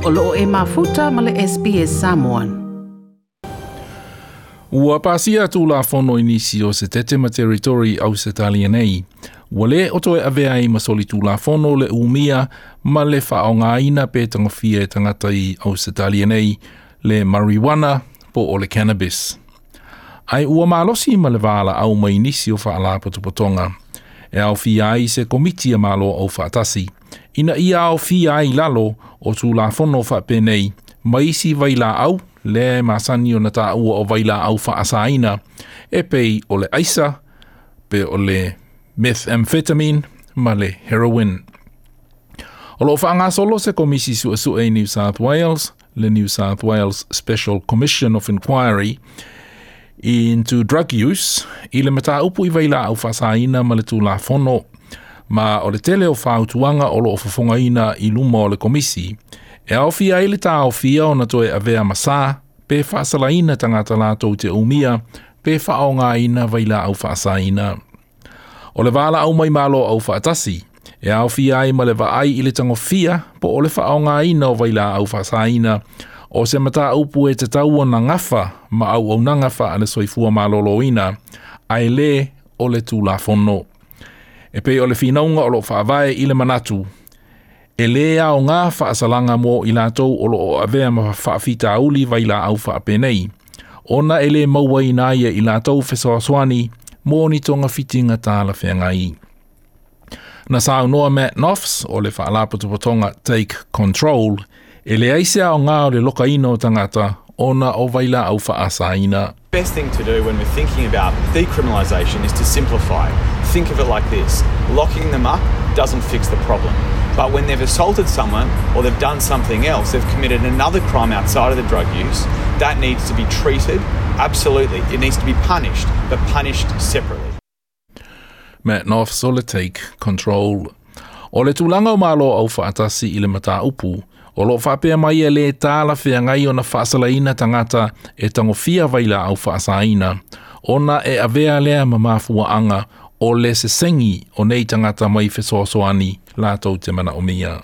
O loo e mafuta ma le SBS Samoan. Ua pasia tulafono i nisi o Setete ma Territory Ausetalia nei. Ua lē o toe avea ai ma solitulafono le umia ma le faaaogaina pe tagofia e tagata i Ausetalia nei le marijuana po o le cannabis. Ae ua malosi ma le valaau mai nisi o faalapotopotoga e aofia ai se komiti a Malo Aufaatasi, ina ia aofia ai i lalo o Tulafono faapenei ma isi vailaau lea e masani ona taua o vailaau faasaina e pei o le aisa, pe o le methamphetamine ma le heroin. O lo o faagasolo se komisi suesue i New South Wales, le New South Wales Special Commission of Inquiry into Drug Use, i le mataupu i vailaau faasaina ma le Tulafono, ma o le tele o fautuaga o lo o fofogaina i luma o le komisi, e aofia ai le taofia ona toe avea ma sa pe faasalaina tagata latou te umia pe faaaogaina vailaau faasaina. O le valaau mai Malo Aufaatasi, e aofia ai ma le vaai i le tagofia po o le faaaogaina o vailaau faasaina o se mataupu e tatau ona gafa ma auaunaga faale-soifua maloloina, ae lē o le Tulafono. E pei o le finauga o lo o faavae i le manatu, e lē aoga faasalaga mo i latou o lo o avea ma faafitauli vailaau faapenei, ona e lē mauaina ai e i latou fesoasoani mo ni togafitiga talafeagai. Na saunoa Matt Noffs o le faalapotopotoga Take Control, e leai se aoga o le lokaina o tagata ona o vailaau faasaina. Best thing to do when we're thinking about decriminalisation is to simplify. Think of it like this locking them up doesn't fix the problem. But when they've assaulted someone or they've done something else, they've committed another crime outside of the drug use, that needs to be treated. Absolutely. It needs to be punished, but punished separately. Matt Noffs o le Take Control. O le tulaga o Malo Aufaatasi i le mataupu, o lo o faapea mai e lē talafeagai ona faasalaina tagata e tagofia vailaau faasaina, ona e avea lea ma mafuaaga o le sesegi o nei tagata mai fesoasoani latou te manaomia.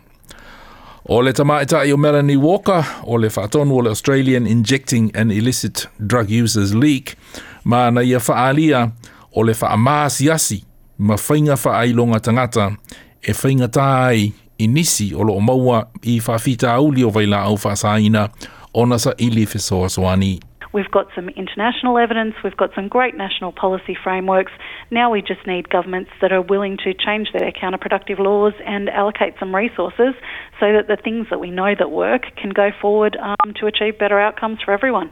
O le tamaitai o Melanie Walker, o le faatonu o le Australian Injecting and Illicit Drug Users League, ma na ia faaalia o le faamaasiasi ma faiga faailoga tagata e faigata ai i nisi o lo o maua i faafitauli o vailaau faasaina ona saili fesoasoani. We've got some international evidence, we've got some great national policy frameworks. Now we just need governments that are willing to change their counterproductive laws and allocate some resources so that the things that we know that work can go forward um, to achieve better outcomes for everyone.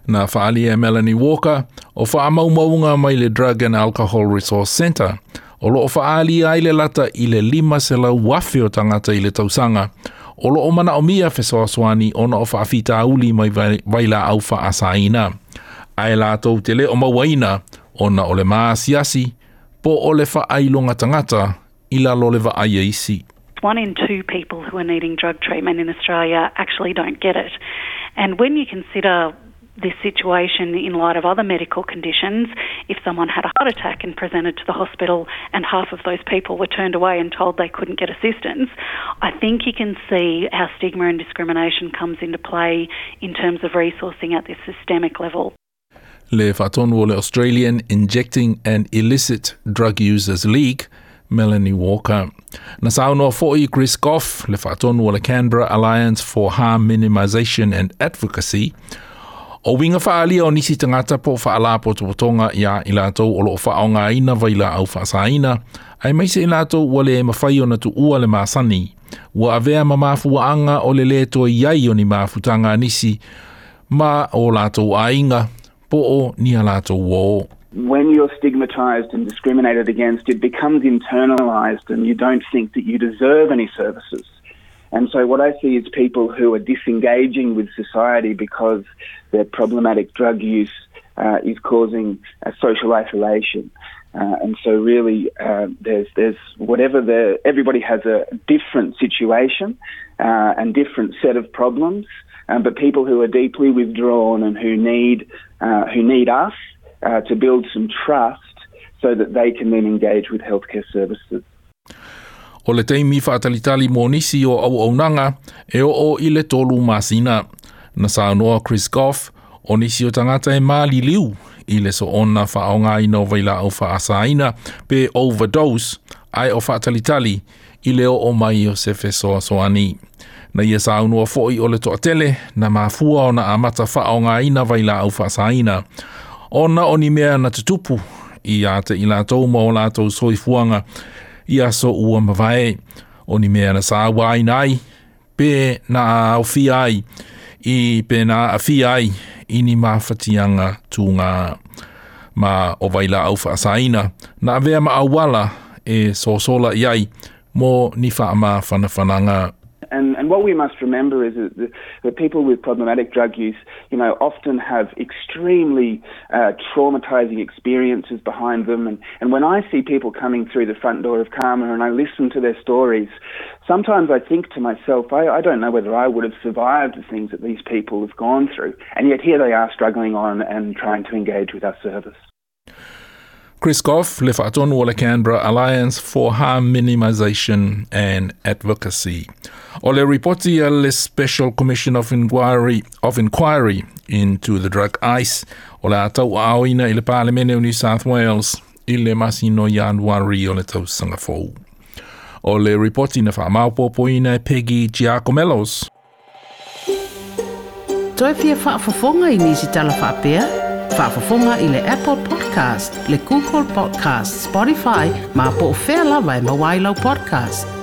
Na faaalia e Melanie Walker, o faamaumauga mai le Drug and Alcohol Resource Centre, o lo o faaalia ai le lata i le 500,000 o tagata i le tausaga, o lo o manaomia fesoasoani ona o faafitauli mai vailaau faasaina, ae latou te le o mauaina ona o le maasiasi po o le faailoga tagata i lalo o le vaai a isi. One in two people who are needing drug treatment in Australia actually don't get it. And when you consider this situation in light of other medical conditions, if someone had a heart attack and presented to the hospital and half of those people were turned away and told they couldn't get assistance, I think you can see how stigma and discrimination comes into play in terms of resourcing at this systemic level. Le faatonu o le Australian Injecting and Illicit Drug Users League, Melanie Walker. Na saunoa foi Chris Goff, le faatonu o le Canberra Alliance for Harm Minimisation and Advocacy, o uiga faaalia o nisi tagata po o faalapotopotoga iā i latou o lo o faaaogaina vailaau faasaina, aemaise i latou ua le mafai ona tuua le masani, ua avea ma mafuaaga o le lē toe i ai o ni mafutaga a nisi ma o latou aiga po o ni a latou uō. When you're stigmatized and discriminated against, it becomes internalized and you don't think that you deserve any services. And so what I see is people who are disengaging with society because their problematic drug use uh, is causing a social isolation. Uh, and so really uh, there's there's whatever the everybody has a different situation uh, and different set of problems um, but people who are deeply withdrawn and who need uh, who need us uh, to build some trust so that they can then engage with healthcare services. O le taimi faatalitali mo nisi o auaunaga e oo i le 3 masina. Na saunoa Chris Goff, o nisi o tagata e maliliu i le soona faaaogaina o vailaau faasaina pe overdose, ae o faatalitali i le oo mai o se fesoasoani. Na ia saunoa foi o le toatele na mafua ona amata faaaogaina vailaau faasaina, ona o ni mea na tutupu ia te i latou ma o latou soifuaga i aso ua mavae, o ni mea na sauaina ai, pe na aofia ai, i pe na aafia ai i ni mafatiaga tuga. Ma o vailaau faasaina na avea ma auala e sosola i ai mo ni faamafanafanaga. And what we must remember is that the people with problematic drug use, you know, often have extremely traumatizing experiences behind them. And when I see people coming through the front door of CAHMA and I listen to their stories, sometimes I think to myself, I don't know whether I would have survived the things that these people have gone through. And yet here they are struggling on and trying to engage with our service. Chris Goff, le faatonu o le Canberra Alliance for Harm Minimisation and Advocacy. O le ripoti a le Special Commission of Inquiry into the Drug Ice o le a tauaaoina i le Palemene o New South Wales i le masina o Ianuari o le tausaga fou. O le ripoti na faamaopoopoina e Peggy Giakoumelos. Toe fia faafofoga i nisi tala faapea? Faafofoga i le Apple Podcast, le Google Podcast, Spotify, ma po o fea lava e maua ai lau podcast.